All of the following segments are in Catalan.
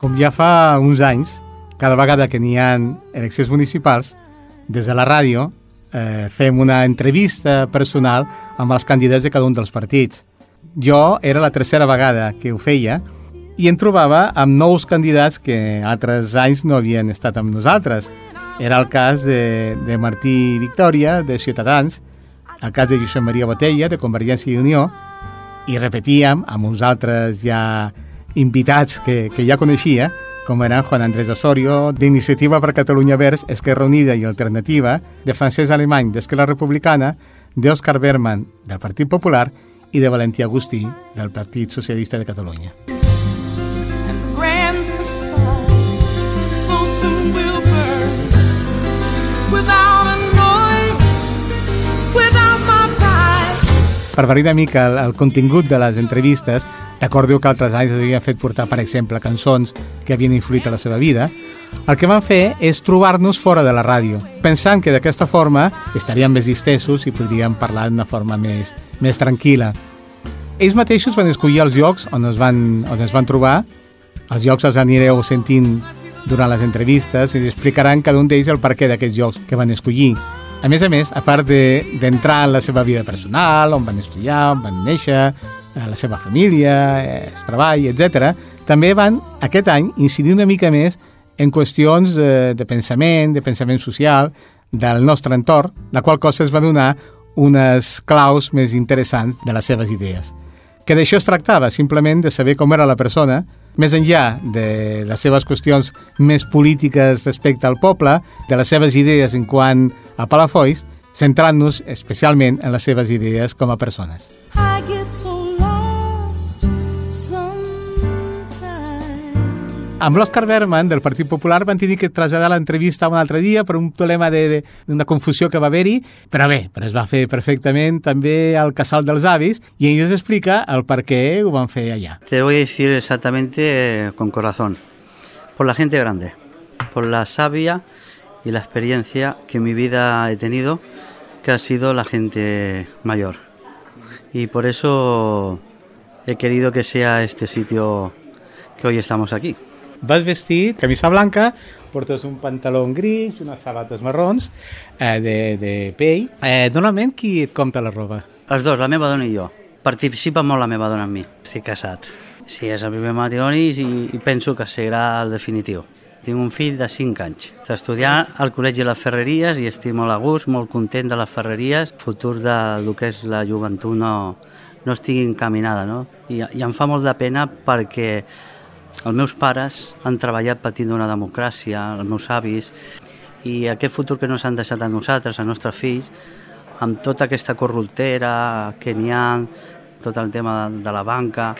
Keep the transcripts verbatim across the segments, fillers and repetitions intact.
Com ja fa uns anys, cada vegada que n'hi ha eleccions municipals, des de la ràdio eh, fem una entrevista personal amb els candidats de cada un dels partits. Jo era la tercera vegada que ho feia i em trobava amb nous candidats que altres anys no havien estat amb nosaltres. Era el cas de, de Martí Victòria, de Ciutadans, el cas de Josep Maria Botella, de Convergència i Unió, i repetíem amb uns altres ja invitats que, que ja coneixia, com eren Juan Andrés Osorio, d'Iniciativa per Catalunya Verds, Esquerra Unida i Alternativa, de Francesc Alemany, d'Esquerra Republicana, d'Òscar Berman, del Partit Popular, i de Valentí Agustí, del Partit Socialista de Catalunya. Per variar una mica el, el contingut de les entrevistes, recordeu que altres anys havien fet portar, per exemple, cançons que havien influït a la seva vida. El que van fer és trobar-nos fora de la ràdio, pensant que d'aquesta forma estaríem més distesos i podríem parlar d'una forma més, més tranquil·la. Ells mateixos van escollir els llocs on es van, on es van trobar. Els llocs els anireu sentint durant les entrevistes i explicaran cada un d'ells el perquè d'aquests llocs que van escollir. A més a més, a part d'entrar de, en la seva vida personal, on van estudiar, on van néixer, la seva família, el treball, etcètera, també van, aquest any, incidir una mica més en qüestions de, de pensament, de pensament social, del nostre entorn, la qual cosa es va donar unes claus més interessants de les seves idees. Que d'això es tractava, simplement de saber com era la persona, més enllà de les seves qüestions més polítiques respecte al poble, de les seves idees en quant a Palafolls, centrant-nos especialment en les seves idees com a persones. Amb l'Òscar Berman, del Partit Popular, van tenir que traslladar l'entrevista un altre dia per un problema d'una confusió que va haver-hi, però bé, però es va fer perfectament també al Casal dels Avis i ell ens explica el per què ho van fer allà. Te voy a decir exactamente con corazón, por la gente grande, por la sabia y la experiencia que en mi vida he tenido, que ha sido la gente mayor. Y por eso he querido que sea este sitio que hoy estamos aquí. Vas vestit, camisa blanca, portes un pantaló gris, unes sabates marrons, eh, de, de pell. Eh, normalment, qui et compta la roba? Els dos, la meva dona i jo. Participa molt la meva dona amb mi. Estic casat. Sí, és el primer matrimoni i, i penso que serà el definitiu. Tinc un fill de cinc anys. Està estudiant al Col·legi de les Ferreries i estic molt a gust, molt content de les Ferreries. El futur del que és la joventut no, no estigui encaminada, no? I, I em fa molt de pena perquè els meus pares han treballat patint una democràcia, els meus avis, i aquest futur que no s'han deixat a nosaltres, als nostres fills, amb tota aquesta corruptera que n'hi ha, tot el tema de la banca,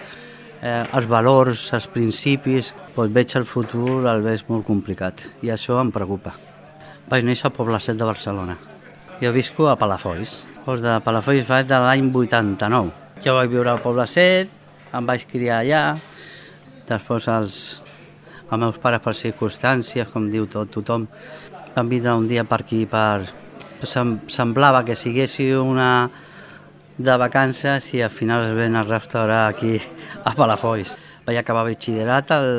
eh, els valors, els principis, doncs veig el futur, el veig molt complicat, i això em preocupa. Vaig néixer al Poble Sec de Barcelona. Jo visco a Palafolls. Doncs de Palafolls vaig de l'any vuitanta-nou. Jo vaig viure al Poble Sec, em vaig criar allà. Després els, els meus pares, per circumstàncies, com diu tot tothom, van vindre un dia per aquí, per... Sem semblava que siguessi una de vacances i al final es ven a restaurar aquí a Palafolls. Vaig acabar batxillerat al,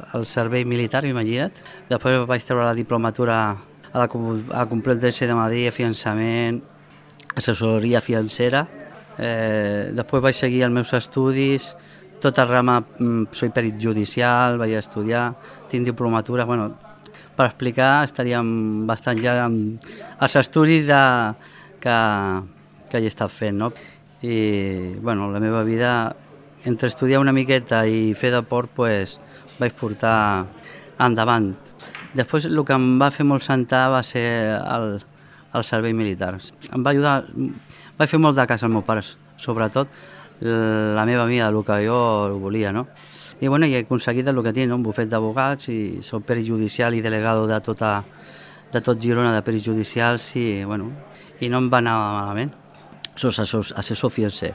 al servei militar, imagina't. Després vaig treure la diplomatura a la, a la Complutense de Madrid, fiançament, assessoria financera. Eh, després vaig seguir els meus estudis, tota rama, soy perit judicial, vaig estudiar, tinc diplomatura, bueno, per explicar estaríem bastant ja amb els estudis de, que, que he estat fent, no? I, bueno, la meva vida, entre estudiar una miqueta i fer deport, pues, vaig portar endavant. Després, el que em va fer molt sentar va ser el, el servei militar. Em va ajudar, vaig fer molt de cas als meus pares, sobretot, la meva amiga, el que jo volia, no? I bueno, he aconseguit el que tinc, no? Un bufet d'abogats i soc perit judicial i delegado de, tota, de tot Girona de perits judicials i, bueno, i no em va anar malament. Soc assessor, assessor financer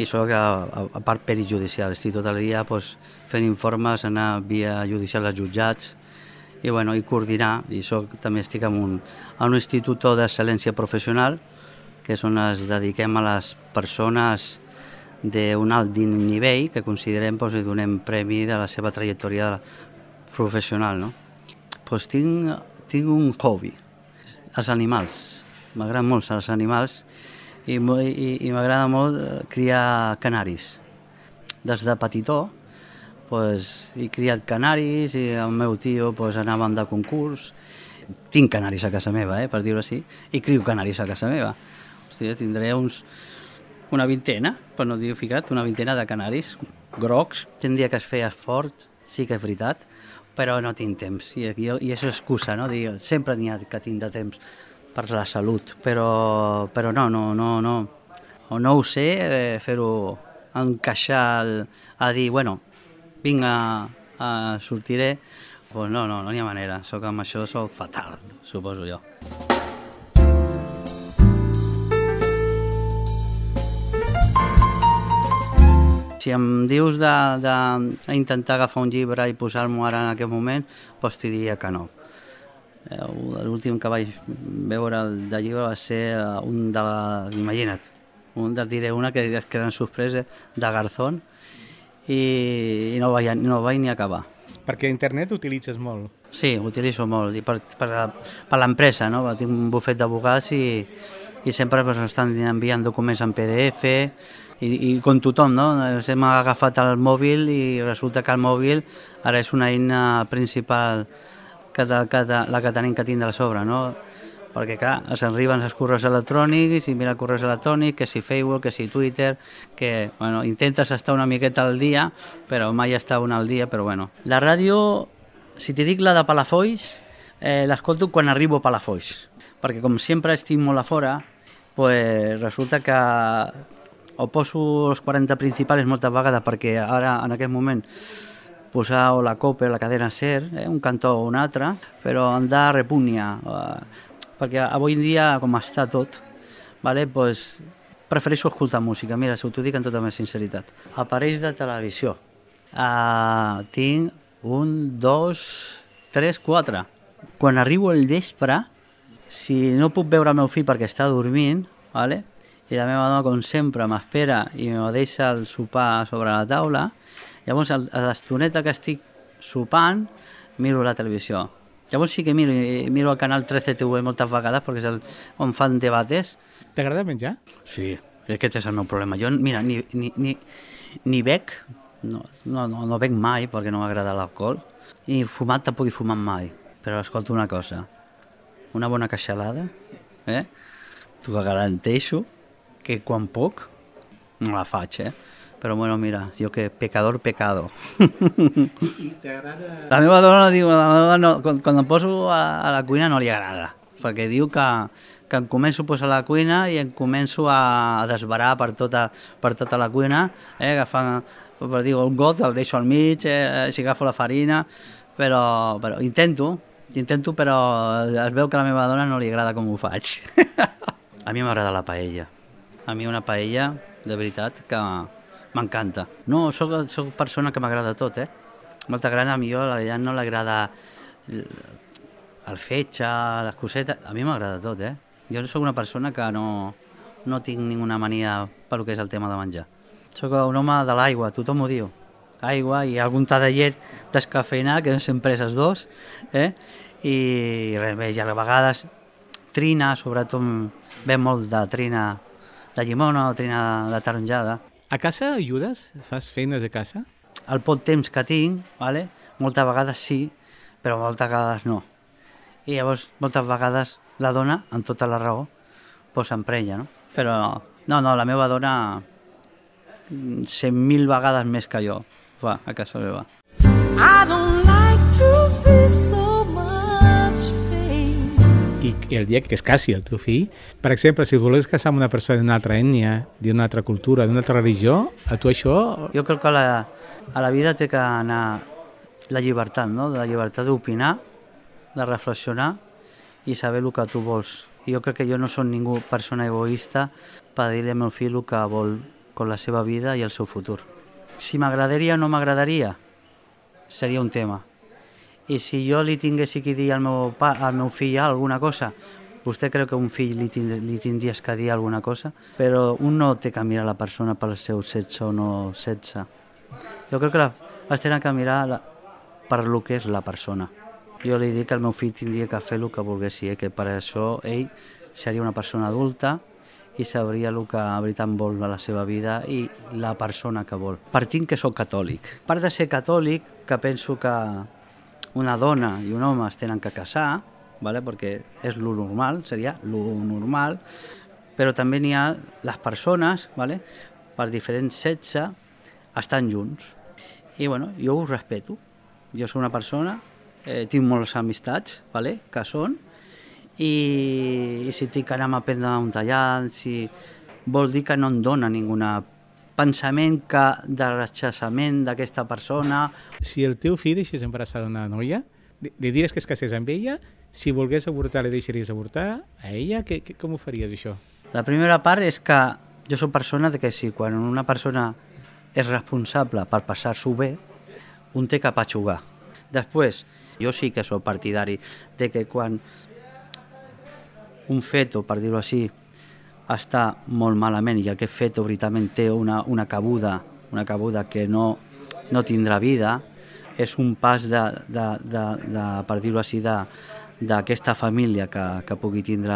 i soc, a, a, a part, perit judicial. Estic tot el dia pues, fent informes, anar via judicial als jutjats i, bueno, i coordinar. I soc, també estic en un, en un institut d'excel·lència professional, que és on es dediquem a les persones d'un alt nivell que considerem doncs, li donem premi de la seva trajectòria professional. No? Doncs tinc, tinc un hobby, els animals. M'agraden molt els animals i, i, i m'agrada molt criar canaris. Des de petitó pues, he criat canaris i el meu tio pues, anàvem de concurs. Tinc canaris a casa meva, eh, per dir-ho així, i crio canaris a casa meva. Hòstia, tindré uns, una vintena, per no dir ficat, una vintena de canaris grocs. Tindria que es feia esport, sí que és veritat, però no tinc temps. I, i, i és excusa, no? Dir, sempre n'hi ha que tinc de temps per la salut, però, però no, no, no, no. O no ho sé, eh, fer-ho encaixar el, a dir, bueno, vinc a, a sortiré, pues no, no, no n'hi ha manera. Soc amb això, soc fatal, suposo jo. Si em dius d'intentar agafar un llibre i posar-m'ho ara en aquest moment, doncs t'hi diria que no. L'últim que vaig veure de llibre va ser un de la... Imagina't, un de diré una que es queda en sorpresa, de Garzón, i, i no, vaig, no vaig ni acabar. Perquè internet utilitzes molt. Sí, utilitzo molt, i per, per, per l'empresa, no? Tinc un bufet d'advocats i, i sempre pues, estan enviant documents en P D F, i, i com tothom, no? Hem agafat el mòbil i resulta que el mòbil ara és una eina principal que, que, la que tenim que tindre a sobre, no? Perquè, clar, ens arriben els correus electrònics i mira correus electrònics, que si Facebook, que si Twitter, que, bueno, intentes estar una miqueta al dia, però mai està una al dia, però bueno. La ràdio, si t'hi dic la de Palafolls, eh, l'escolto quan arribo a Palafolls, perquè com sempre estic molt a fora, pues resulta que o poso els quaranta principals moltes vegades, perquè ara, en aquest moment, posar o la COPE, la cadena SER, eh, un cantó o un altre, però em da repugna, eh, perquè avui en dia, com està tot, vale, pues, prefereixo escoltar música. Mira, si t'ho dic amb tota la sinceritat. Aparells de televisió. Uh, tinc un, dos, tres, quatre. Quan arribo al vespre, si no puc veure el meu fill perquè està dormint, vale, i la meva dona, com sempre, m'espera i me deixa el sopar sobre la taula, llavors, a l'estoneta que estic sopant, miro la televisió. Llavors sí que miro, miro el canal trece T V moltes vegades perquè és el, on fan debates. T'agrada menjar? Sí, aquest és el meu problema. Jo, mira, ni, ni, ni, ni bec, no, no, no, no bec mai perquè no m'agrada l'alcohol, i fumat tampoc he fumat mai. Però escolta una cosa, una bona queixalada, eh? T'ho garanteixo que quan puc no la faig, eh? Però bueno, mira, jo que pecador, pecado. I t'agrada... La meva dona diu, la meva dona, quan, quan em poso a, a la cuina no li agrada, perquè diu que, que em començo a posar a la cuina i em començo a desbarar per tota, per tota la cuina, eh, agafant, per dir, un got, el deixo al mig, eh, si agafo la farina, però, però intento, intento, però es veu que a la meva dona no li agrada com ho faig. A mi m'agrada la paella. A mi una paella, de veritat, que m'encanta. No, soc, soc persona que m'agrada tot, eh? Molta gran, a mi jo, la veritat, no l'agrada el fetge, les cosetes... A mi m'agrada tot, eh? Jo soc una persona que no, no tinc ninguna mania per que és el tema de menjar. Soc un home de l'aigua, tothom ho diu. Aigua i algun ta de llet descafeïnat, que sempre és els dos, eh? I res més, i a vegades trina, sobretot ve molt de trina de llimona o trina de taronjada. A casa ajudes? Fas feines a casa? El poc temps que tinc, vale? Moltes vegades sí, però moltes vegades no. I llavors, moltes vegades, la dona, amb tota la raó, pues s'emprenya, no? Però no, no, la meva dona cent mil vegades més que jo fa a casa meva. I don't like to see so much pain. I, I el dia que es casi el teu fill, per exemple, si volgués casar amb una persona d'una altra ètnia, d'una altra cultura, d'una altra religió, a tu això... Jo crec que a la, a la vida té que anar la llibertat, no? La llibertat d'opinar, de reflexionar i saber el que tu vols. I jo crec que jo no soc ningú persona egoista per dir-li al meu fill el que vol con la seva vida i el seu futur. Si m'agradaria o no m'agradaria, seria un tema. I si jo li tingués que dir al meu, pa, al meu fill alguna cosa, Vostè creu que un fill li, tind li tindries que dir alguna cosa, però un no té que mirar la persona pel seu sexe o no sexe. Jo crec que la, es tenen que mirar la, per lo que és la persona. Jo li dic que el meu fill tindria que fer el que volgués, eh? Que per això ell seria una persona adulta i sabria el que a veritat vol a la seva vida i la persona que vol. Partint que soc catòlic. A part de ser catòlic, que penso que una dona i un home es tenen que casar, ¿vale? Perquè és lo normal, seria lo normal, però també n'hi ha les persones, ¿vale? Per diferents sexe, estan junts. I bueno, jo ho respeto. Jo soc una persona, eh, tinc moltes amistats, ¿vale? Que són, i, i si tinc que anar a prendre un tallat, si vol dir que no em dona ningun pensament que de rechaçament d'aquesta persona. Si el teu fill deixés embarassada una noia, li diries que es casés amb ella, si volgués avortar li deixaries avortar a ella, que, que, com ho faries això? La primera part és que jo soc persona de que si quan una persona és responsable per passar-s'ho bé, un té que patxugar. Després, jo sí que soc partidari de que quan un feto, per dir-ho així, està molt malament i aquest feto veritablement té una, una cabuda, una cabuda que no, no tindrà vida, és un pas de, de, de, de per dir-ho així, d'aquesta família que, que pugui tindre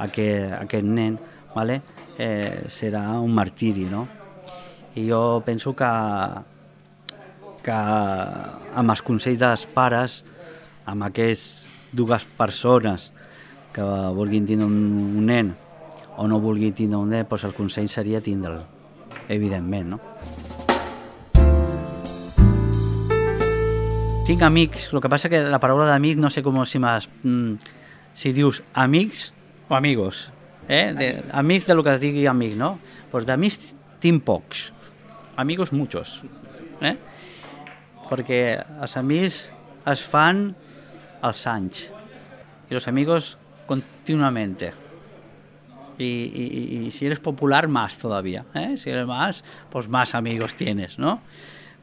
aquest, aquest nen, ¿vale? eh, serà un martiri, no? I jo penso que, que amb els consells dels pares, amb aquestes dues persones que vulguin tindre un, un nen o no vulguin tindre un nen, doncs el consell seria tindre'l, evidentment, no? Tinc amics, el que passa que la paraula d'amic no sé com si, si dius amics o amigos, eh? De, amics de lo que es digui amic, no? Pues d'amics tinc pocs, amigos muchos, eh? Perquè els amics es fan als anys i els amigos continuamente. Y, y, y si eres popular, más todavía, ¿eh? Si eres más, pues más amigos tienes, ¿no?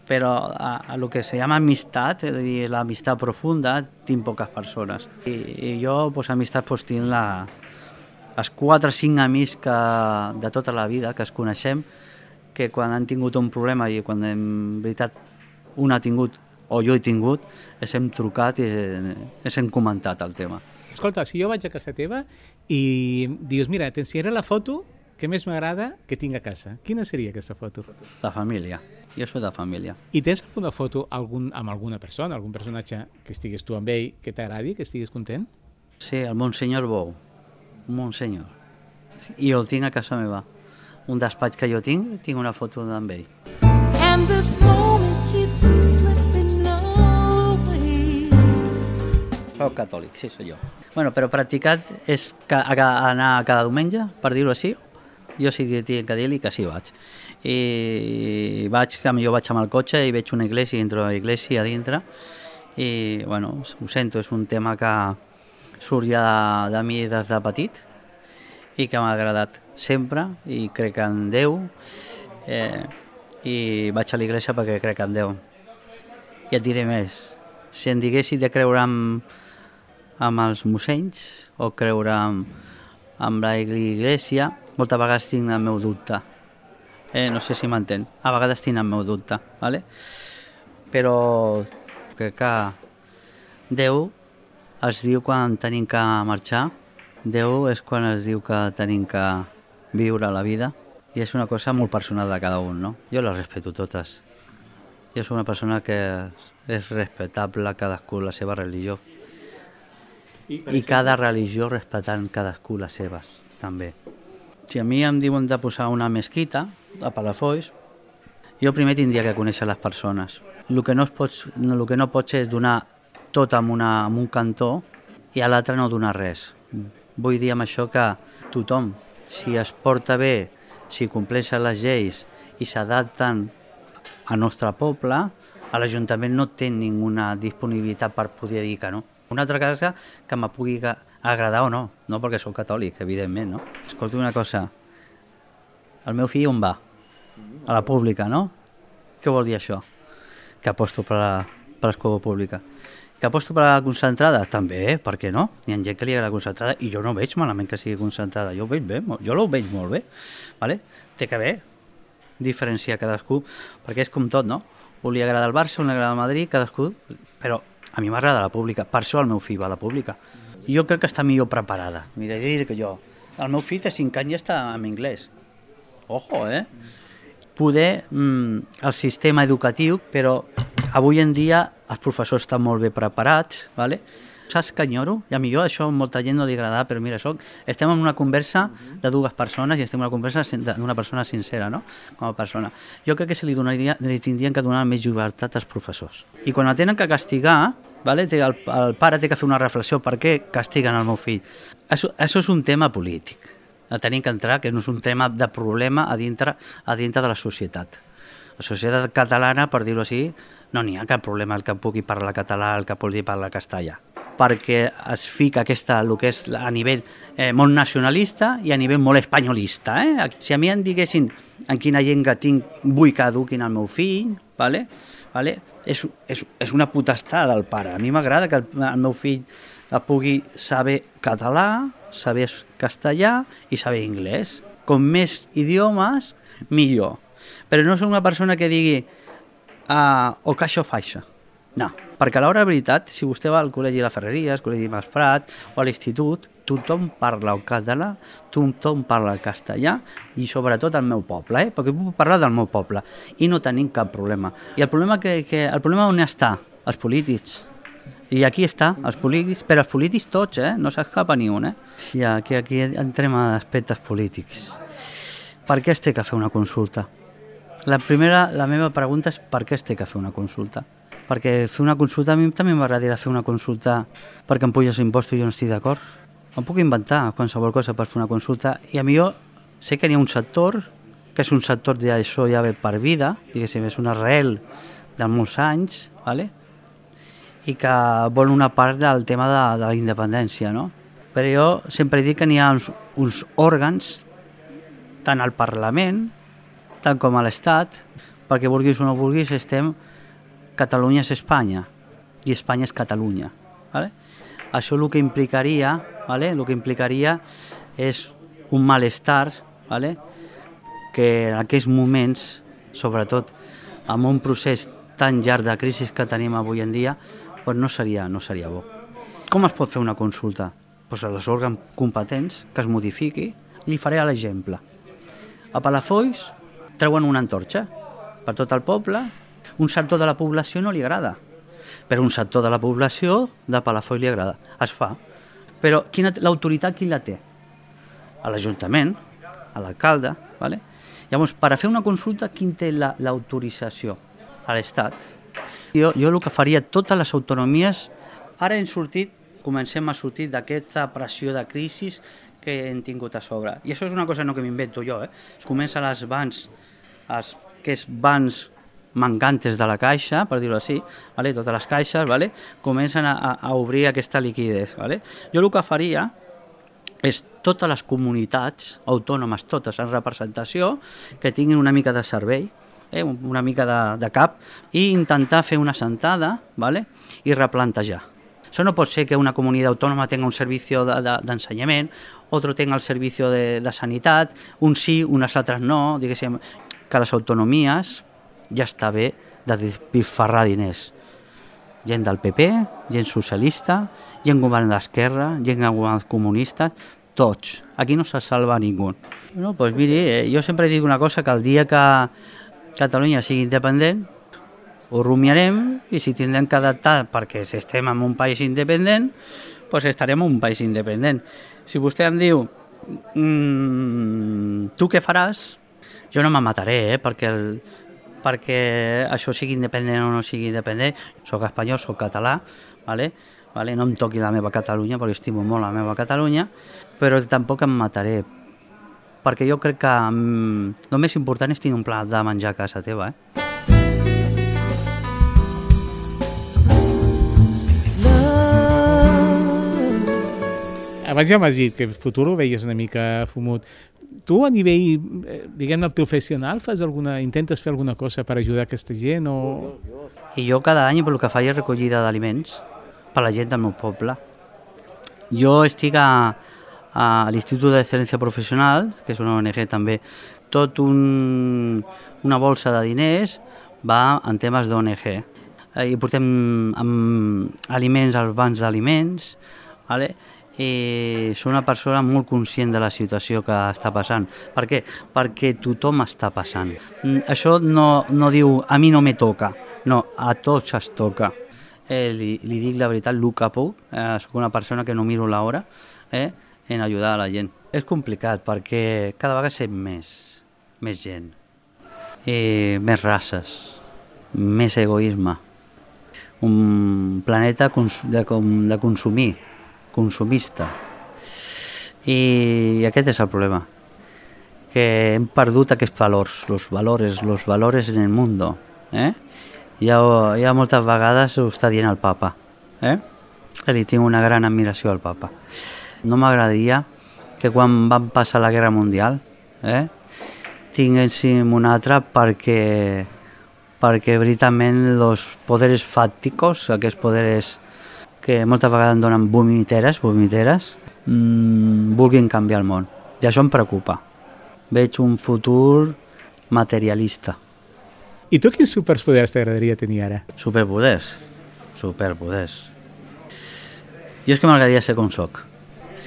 Pero a, a lo que se llama amistad, y la amistad profunda, tinc poques persones. I, i jo, pues, amistat, pues, tinc la, els quatre o cinc amics que, de tota la vida que es coneixem, que quan han tingut un problema i quan en veritat un ha tingut o jo he tingut, ens hem trucat i ens hem comentat el tema. Escolta, si jo vaig a casa teva i dius, mira, t'ensenyaré la foto que més m'agrada que tinc a casa, quina seria aquesta foto? De família. Jo soc de família. I tens alguna foto algun, amb alguna persona, algun personatge que estiguis tu amb ell, que t'agradi, que estiguis content? Sí, el Monsenyor Bou. Un Monsenyor. I el tinc a casa meva. Un despatx que jo tinc, tinc una foto d'en ell. And this moment keeps me slipping away. Soc catòlic, sí, soc jo. Bueno, però practicat és que, a, anar cada diumenge, per dir-ho així. Jo sí que tinc que dir-li que sí vaig. I vaig, que jo vaig amb el cotxe i veig una església, entro a l'església a dintre, i, bueno, ho sento, és un tema que surt ja de, de mi des de petit i que m'ha agradat sempre i crec en Déu, eh, i vaig a l'església perquè crec en Déu. I et diré més, si em diguessi de creure amb, amb els mossenys o creure amb, amb l'església, moltes vegades tinc el meu dubte. Eh, no sé si m'entén. A vegades tinc el meu dubte, ¿vale? Però crec que Déu es diu quan tenim que marxar, Déu és quan es diu que tenim que viure la vida, i és una cosa molt personal de cada un, no? Jo les respeto totes. Jo soc una persona que és respectable cadascú la seva religió. I, I cada religió respectant cadascú les seves, també. Si a mi em diuen de posar una mesquita a Palafolls, jo primer tindria que conèixer les persones. El que no, pots, el que no pots és donar tot en, una, en un cantó i a l'altre no donar res. Vull dir amb això que tothom, si es porta bé, si compleixen les lleis i s'adapten al nostre poble, a l'Ajuntament no té ninguna disponibilitat per poder dir que no. Una altra cosa que me pugui agradar o no, no perquè soc catòlic, evidentment, no? Escolta una cosa, el meu fill on va? A la pública, no? Què vol dir això? Que aposto per, la, per l'escola pública. Que aposto per la concentrada? També, per què no? Hi ha gent que li agrada la concentrada i jo no veig malament que sigui concentrada, jo ho veig bé, jo ho veig molt bé, vale? Té que haver diferenciar cadascú, perquè és com tot, no? Un li agrada el Barça, un li agrada el Madrid, cadascú, però a mi m'agrada la pública, per això el meu fill va a la pública. Jo crec que està millor preparada, mira, dir que jo, el meu fill de cinc anys ja està en anglès, ojo, eh? Poder, mm, el sistema educatiu, però avui en dia els professors estan molt bé preparats, ¿vale? Saps que enyoro? I a mi jo això a molta gent no li agrada, però mira, soc, estem en una conversa de dues persones i estem en una conversa d'una persona sincera, no? Com a persona. Jo crec que se li, donaria, li tindrien que donar més llibertat als professors. I quan el tenen que castigar, ¿vale? el, el pare té que fer una reflexió per què castiguen el meu fill. Això, això és un tema polític. El tenim que entrar, que no és un tema de problema a dintre, a dintre de la societat. La societat catalana, per dir-ho així, no n'hi ha cap problema el que pugui parlar català, el que pugui parlar castellà, perquè es fica aquesta, el que és a nivell eh, molt nacionalista i a nivell molt espanyolista. Eh? Si a mi em diguessin en quina llengua tinc, vull que eduquin el meu fill, vale? Vale? És, és, és una potestat del pare. A mi m'agrada que el, el meu fill pugui saber català, saber castellà i saber anglès. Com més idiomes, millor. Però no soc una persona que digui uh, o que això fa això. No, perquè a l'hora de veritat, si vostè va al col·legi de la Ferreria, al col·legi Mas Prat o a l'institut, tothom parla el català, tothom parla el castellà i sobretot el meu poble, eh? Perquè puc parlar del meu poble i no tenim cap problema. I el problema, que, que, el problema on està? Els polítics. I aquí està, els polítics, però els polítics tots, eh? No s'escapa ni un, eh? Sí, aquí, aquí entrem a aspectes polítics. Per què es té que fer una consulta? La primera, la meva pregunta és per què es té que fer una consulta? Perquè fer una consulta, a mi també m'agradaria fer una consulta perquè em puges impostos i jo no estic d'acord. Em puc inventar qualsevol cosa per fer una consulta i a mi jo sé que hi ha un sector, que és un sector d'això ja ve per vida, diguéssim, és una arrel de molts anys, ¿vale? I que vol una part del tema de, de la independència, no? Però jo sempre dic que n'hi ha uns, uns òrgans, tant al Parlament, tant com a l'Estat, perquè vulguis o no vulguis, estem... Catalunya és Espanya i Espanya és Catalunya. ¿Vale? Això el que implicaria, ¿vale? El que implicaria és un malestar, ¿vale? Que en aquells moments, sobretot amb un procés tan llarg de crisi que tenim avui en dia, pues no seria, no seria bo. Com es pot fer una consulta? Pues a les òrgans competents que es modifiqui. Li faré l'exemple. A Palafolls treuen una antorxa per tot el poble. Un sector de la població no li agrada, però un sector de la població de Palafolls li agrada. Es fa. Però quina, l'autoritat qui la té? A l'Ajuntament, a l'alcalde. ¿Vale? Llavors, per a fer una consulta, qui té la, l'autorització? A l'Estat. Jo, jo el que faria, totes les autonomies, ara hem sortit, comencem a sortir d'aquesta pressió de crisi que hem tingut a sobre. I això és una cosa no que m'invento jo. Eh? Es comença a les bans, als, que és bans mancantes de la caixa, per dir-ho així, ¿vale? Totes les caixes, ¿vale? Comencen a, a obrir aquesta liquiditat. ¿Vale? Jo el que faria és totes les comunitats autònomes, totes en representació, que tinguin una mica de servei, eh? una mica de, de cap, i intentar fer una sentada, ¿vale? I replantejar. Això no pot ser que una comunitat autònoma tenga un servici de, de, d'ensenyament, otro tenga el servici de, de sanitat, un sí, unes altres no, diguéssim, que les autonomies ja està bé de despilfarrar diners. Gent del P P, gent socialista, gent govern d'esquerra, gent govern comunista, tots. Aquí no se salva ningú. No, pues miri, eh, jo sempre dic una cosa, que el dia que Catalunya sigui independent, ho rumiarem i si tindrem que adaptar perquè si estem en un país independent, pues estarem en un país independent. Si vostè em diu, mmm, tu què faràs? Jo no me mataré, eh, perquè el perquè això sigui independent o no sigui independent. Soc espanyol, soc català, ¿vale? ¿Vale? No em toqui la meva Catalunya, perquè estimo molt la meva Catalunya, però tampoc em mataré, perquè jo crec que mm, el més important és tenir un plat de menjar a casa teva. Eh? Abans ja m'has dit que el futur ho veies una mica fumut. Tu a nivell, diguem-ne, professional, fas alguna, intentes fer alguna cosa per ajudar aquesta gent? O... I jo cada any el que faig és recollida d'aliments, per la gent del meu poble. Jo estic a, a l'Institut d'Excel·lència Professional, que és una O N G també. Tot un, una bolsa de diners va en temes d'O N G. I portem amb aliments als bancs d'aliments, vale? I soc una persona molt conscient de la situació que està passant. Per què? Perquè tothom està passant. Això no, no diu a mi no me toca, no, a tots es toca. Eh, li, li dic la veritat, el que puc, eh, soc una persona que no miro l'hora eh, en ajudar a la gent. És complicat perquè cada vegada sem més, més gent, eh, més races, més egoisme, un planeta de, de consumir, consumista. I aquest és el problema, que hem perdut aquests valors, los valores, los valores en el mundo. Eh? Ja, ja moltes vegades ho està dient el papa, eh? Li tinc una gran admiració al papa. No m'agradaria que quan van passar la Guerra Mundial eh, tinguéssim una altra perquè, perquè veritablement els poderes fàcticos, aquests poderes que moltes vegades donen vomiteres, vomiteres mmm, vulguin canviar el món. I això em preocupa. Veig un futur materialista. I tu quins superpoders t'agradaria tenir ara? Superpoders? Superpoders. Jo és que m'agradaria ser com soc.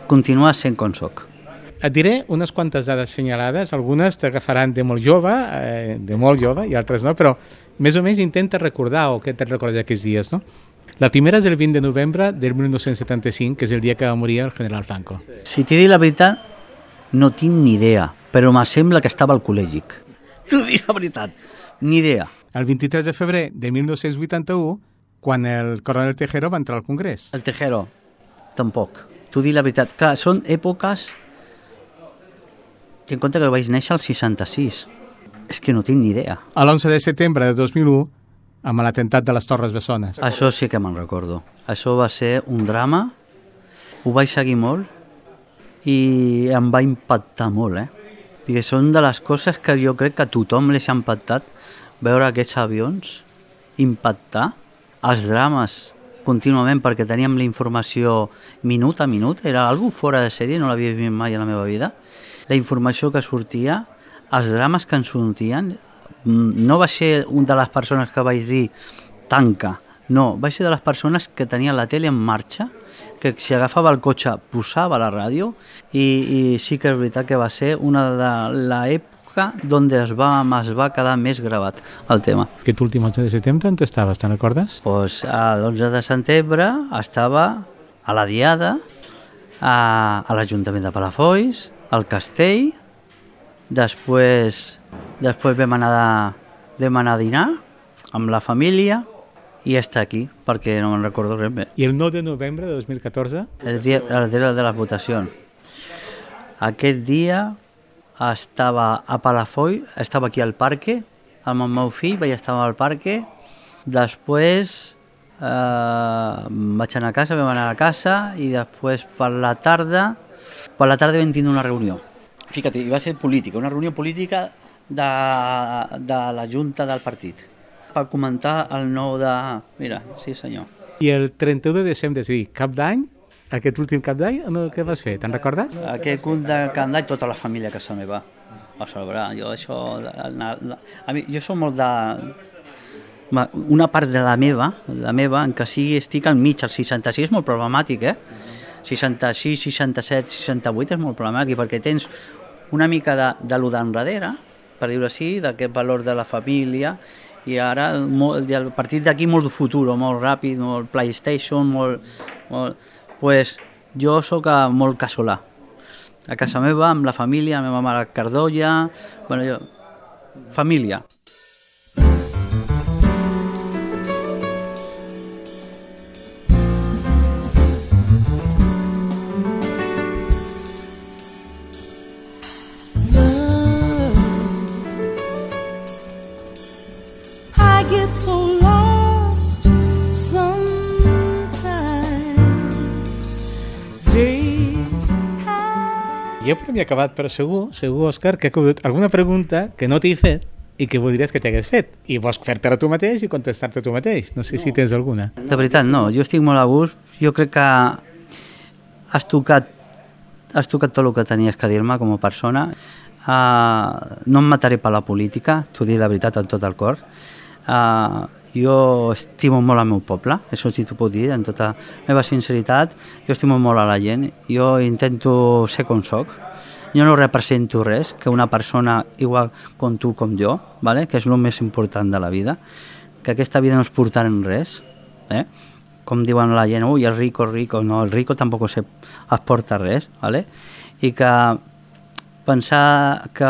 Continuar sent com soc. Et diré unes quantes dades senyalades, algunes t'agafaran de molt jove, eh, de molt jove, i altres no, però més o menys intenta recordar o què te'n recordes d'aquests dies, no? La primera és el vint de novembre del mil nou-cents setanta-cinc, que és el dia que va morir el general Franco. Si t'he dit la veritat, no tinc ni idea, però me sembla que estava al col·legi. T'ho dic la veritat, ni idea. El vint-i-tres de febrer de mil nou-cents vuitanta-u, quan el coronel Tejero va entrar al Congrés. El Tejero, tampoc. T'ho dic la veritat. Clar, són èpoques... Ten en compte que vaig néixer al seixanta-sis. És que no tinc ni idea. A l'onze de setembre de dos mil u, amb l'atemptat de les Torres Bessones. Això sí que me'n recordo. Això va ser un drama, ho vaig seguir molt i em va impactar molt, eh? Perquè són de les coses que jo crec que a tothom li ha impactat, veure aquests avions impactar, els drames contínuament, perquè teníem la informació minut a minut, era algo fora de sèrie, no l'havia vist mai a la meva vida. La informació que sortia, els drames que ens sortien, no va ser una de les persones que vaig dir tanca, no, vaig ser de les persones que tenien la tele en marxa, que si agafava el cotxe posava la ràdio i, i sí que és veritat que va ser una de l'època on es va, es va quedar més gravat el tema. Aquest últim onze de setembre on estaves, te'n recordes? Pues l'onze de setembre estava a la Diada, a, a l'Ajuntament de Palafolls, al castell, després, després vam, anar de, vam anar a dinar amb la família i estar aquí, perquè no me'n recordo res més. I el nou de novembre de dos mil catorze? El dia, el dia de les votacions. Aquest dia estava a Palafolls, estava aquí al parque, amb el meu fill, vaig estar al parque, després eh, vaig anar a casa, vam anar a casa i després per la tarda Per la tarda vam tindre una reunió. Fíjate, va ser política, una reunió política de, de la Junta del partit per comentar el nou de... Mira, sí senyor. I el trenta-u de desembre, és a dir, cap d'any, aquest últim cap d'any, no, què vas fer? Te'n recordes? Aquest últim de cap d'any, tota la família a casa meva va celebrar. Jo això... La, la, a mi, jo soc molt de... Una part de la meva, la meva, en què sigui estic al mig, al seixanta-sis, és molt problemàtic, eh? seixanta-sis, seixanta-set, seixanta-vuit és molt problemàtic perquè tens una mica de, de lo d'enrere, per dir-ho així, d'aquest valor de la família i ara molt, a partir d'aquí molt futur, molt ràpid, molt PlayStation, molt... molt pues, jo sóc molt casolà. A casa meva, amb la família, la meva mare Cardolla, bueno, jo... família. Jo per mi he acabat, però segur, segur, Òscar, que alguna pregunta que no t'he fet i què voldries que t'hagués fet. I vols fer-te a tu mateix i contestar-te a tu mateix. No sé no. si tens alguna. De veritat, no. Jo estic molt a gust. Jo crec que has tocat, has tocat tot el que tenies que dir-me com a persona. Uh, no em mataré per la política, t'ho dic la veritat amb tot el cor. Uh, jo estimo molt el meu poble, això sí t'ho puc dir, amb tota la meva sinceritat. Jo estimo molt a la gent. Jo intento ser com soc. Jo no represento res, que una persona igual com tu, com jo, ¿vale? Que és el més important de la vida, que aquesta vida no es portarà en res, eh? Com diuen la gent, ui, el rico, el rico, no, el rico tampoc se, es porta res, ¿vale? I que pensar que